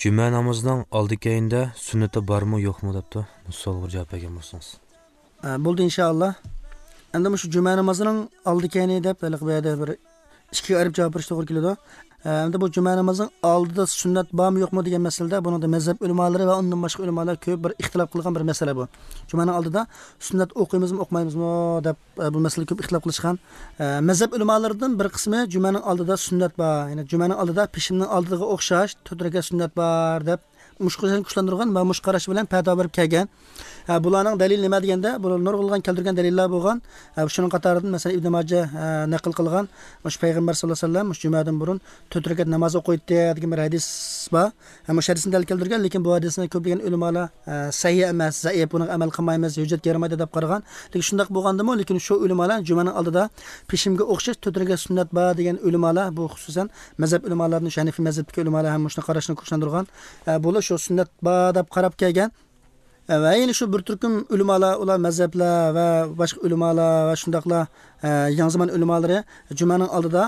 Juma namozining oldi keyinda sunnati bormi yo'qmi debdi. Bu savolga javob bergan bo'lsangiz. Bo'ldi inshaalloh. Endi shu juma namozining oldi keyini deb bu yerda bir ikkiga ayirib javob berish to'g'ri keladi. Endi bu juma namozining oldida sunnat bormi yo'qmi degan masalada buni mazhab ulamolari va undan boshqa ulamolar ko'p bir ixtilof qilgan bir masala bu. Jumaning oldida sunnat o'qiymizmi, o'qimaymizmi deb bu masala ko'p ixtilof qilishgan. Mazhab ulamolaridan bir qismi jumaning oldida sunnat bor, ya'ni jumaning oldida peshinning oldiga o'xshash 4 rakat sunnat bor deb mushqarashni kuchlantirgan va mushqarash bilan paydo berib kelgan. Bularning dalili nima deganda, bular nurg'ulg'an keltirgan dalillar bo'lgan. Shuning qatoridan masalan Ibn Majah naql qilgan, shu payg'ambar sollallohu alayhi vasallam shu jumadan burun 4 rakat namoz o'qiydi degan bir hadis bor. Shu hadisni dalil keltirgan, lekin bu hadisni ko'plagan ulamolar sahih emas, zaif, buni amal qilmaymiz, hujjat yaramaydi deb qaragan. Lekin shundoq bo'lgandimi, lekin shu ulamolar jumaning oldida peshinga o'xshash 4 rakat sunnat bor degan ulamolar, bu xususan mazhab ulamolarining Hanafi mazhabidagi ulamolar ham shuni qarashni kuchlantirgan. Bular shu sunnat bor deb qarab kelgan. Va yana shu bir turkum ulamolar, ular mazhablar va boshqa ulamolar va shundaqlar yangi zamon ulamolari jumaning oldida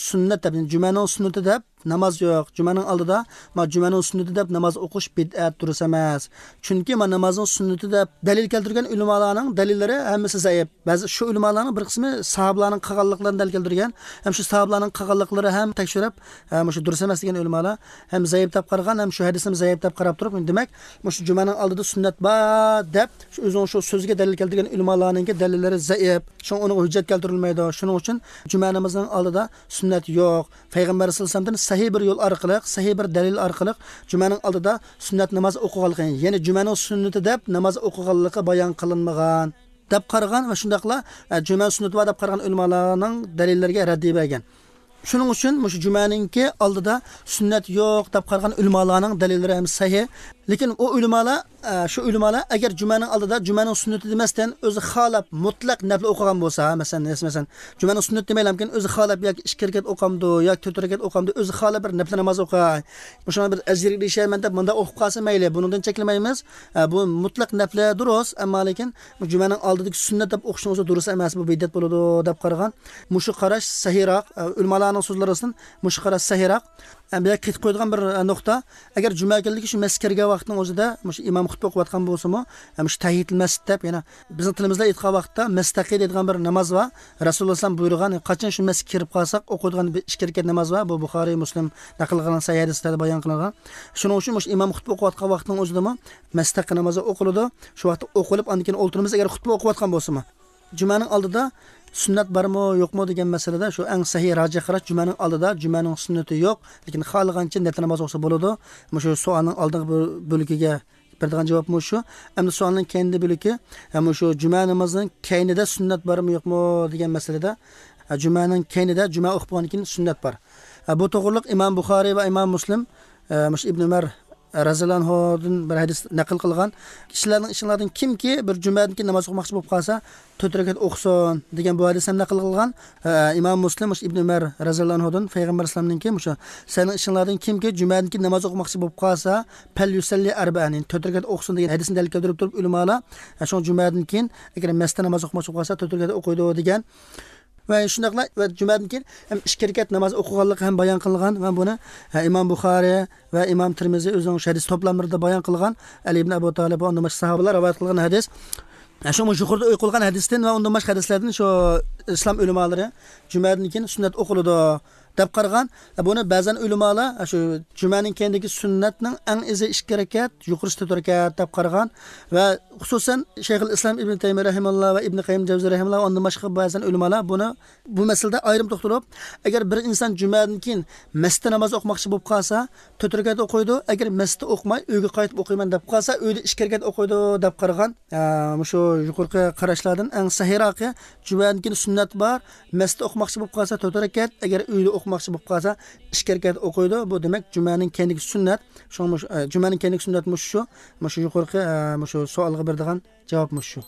sunnat deb, jumaning sunnati deb namoz yo'q. Jumaning oldida ma jumaning sunnati deb namoz o'qish bid'at, durust emas. Chunki ma namozning sunnati deb dalil keltirgan ulamolarning dalillari hammasi zaif. Ba'zi shu ulamolarning bir qismi sahobalarning qilganliklarini dalil keltirgan, ham shu sahobalarning qilganliklari ham tekshirib, shu durust emas degan ulamolar ham zaif deb qaragan, ham shu hadisni zaif deb qarab turib, demak, shu jumaning oldida sunnat bor deb shu o'zining shu so'ziga dalil keltirgan ulamolarning dalillari zaif. Shuning uning hujjat keltirilmaydi. Shuning uchun juma namozining oldida sunnat yo'q. Payg'ambar sollallohu alayhi vasallamdan sahih bir yo'l orqali, sahih bir dalil orqali jumaning oldida sunnat namoz o'qiganligi, ya'ni jumaning sunnati deb namoz o'qiganligi bayon qilinmagan deb qaragan va shundaqla juma sunnati bor deb qaragan ulamolarning dalillariga raddiya bergan. Shuning uchun shu jumaningki oldida sunnat yo'q deb qaragan ulamolarning dalillari ham sahih. Lekin u ulamolar, shu ulamolar agar jumaning oldida jumaning sunnati demasdan o'zi xalab mutlaq nafl o'qigan bo'lsa, masalan jumaning sunnati demaylamkin, o'zi xalab yoki 2 rakat o'qamdi yoki 4 rakat o'qamdi, o'zi xalab bir nafl namoz o'qay, o'shani bir ajr erishayman deb bunda o'qib qolsa mayli, bundan cheklamaymiz. Bu mutlaq nafl durust, ammo lekin jumaning oldidagi sunnat deb o'qishning o'zi durust emas, bu bid'at bo'ladi deb qaragan. Mushu qarash sahihroq, ulamolarning so'zlaridan mushu qarash sahihroq. Bu yerga qaytib qo'yadigan bir nuqta, agar juma kunligi shu masjidga kirgan vaqtning o'zida shu imom xutba o'qiyotgan bo'lsa-mu, shu tahiyatul masjid deb, ya'ni bizning tilimizda aytgan vaqtda mustaqil deydigan bir namoz bor. Rasululloh sollallohu alayhi vasallam buyurgan, qachon shu masjidga kirib qolsak o'qiydigan bir 2 rakat namoz bor. Bu Buxoriy, Muslim naql qilgan sahih hadislarda bayon qilingan. Shuning uchun shu imom xutba o'qiyotgan vaqtning o'zida mustaqil namozi o'qiladi. Shu vaqtda o'qilib, andan keyin o'ltiramiz agar xutba o'qiyotgan bo'lsa-mu. Jumaning oldida sunnat bormi yo'qmi degan masalada shu eng sahih rojih qarash jumaning oldida jumaning sunnati yo'q, lekin xohlagancha nafl namoz o'qisa bo'ladi. Shu savolning oldingi bo'ligiga beradigan javob shu. Endi savolning keyingi bo'ligi, shu juma namozining keynida sunnat bormi yo'qmi degan masalada jumaning keynida juma o'qib bo'lgandan keyin sunnat bor. Bu to'g'riliq Imom Buxoriy va Imom Muslim Ibn Umar raziyallohu anhudan bir hadis naql qilgan. Kishilarning ishlardan kimki bir jumadan keyin namoz o'qimoqchi bo'lib qolsa, 4 rakat o'qisin degan bu hadis ham naql qilgan. Imom Muslim Ibn Umar raziyallohu anhudan payg'ambar alayhisolamninki o'sha sening ishlardan kimki jumadan keyin namoz o'qimoqchi bo'lib qolsa, fal yusalli arba'an, 4 rakat o'qisin degan hadisni dalil keltirib turib ulamolar shu jumadan keyin agar masjidda namoz o'qimoqchi bo'lib qolsa 4 rakat o'qiydi degan. Va shundaqla va jumadan keyin ham 2 rakat namoz o'qiganligi ham bayon qilingan va buni Imom Buxoriy va Imom Termiziy o'zining hadis to'plamlarida bayon qilgan. Ali ibn Abu Talib va undan boshqa sahobalar rivoyat qilgan hadis. Shu yuqorida o'qilgan hadisdan va undan boshqa hadislardan shu islom ulamolari jumadan keyin sunnat o'qiladi deb qaragan. Buni ba'zan ulamolar shu jumaning keyindagi sunnatning eng izi 2 rakat, yuqorisi 4 rakat deb qaragan va xususan Shayxul Islom Ibn Taymiy rahimahulloh va Ibn Qayyim Javziy rahimahulloh undan boshqa ba'zan ulamolar buni bu masalada ayrim to'xtalib, agar bir inson jumadan keyin masjidda namoz o'qimoqchi bo'lib qolsa, 4 rakat o'qiydi, agar masjidda o'qimay uyga qaytib o'qiyman deb qolsa, uyda 2 rakat o'qiydi deb qaragan. Shu yuqorqi qarashlardan eng sahihroqi jumadan keyin sunnat bor, masjidda o'qimoqchi bo'lib qolsa 4 rakat, agar uyda o'qimoqchi bo'lib qolsa 2 rakat o'qiydi. Bu demak jumaning keyingi sunnat, shu jumaning keyingi sunnat shu, shu yuqorqi shu savolga beradigan javob shu.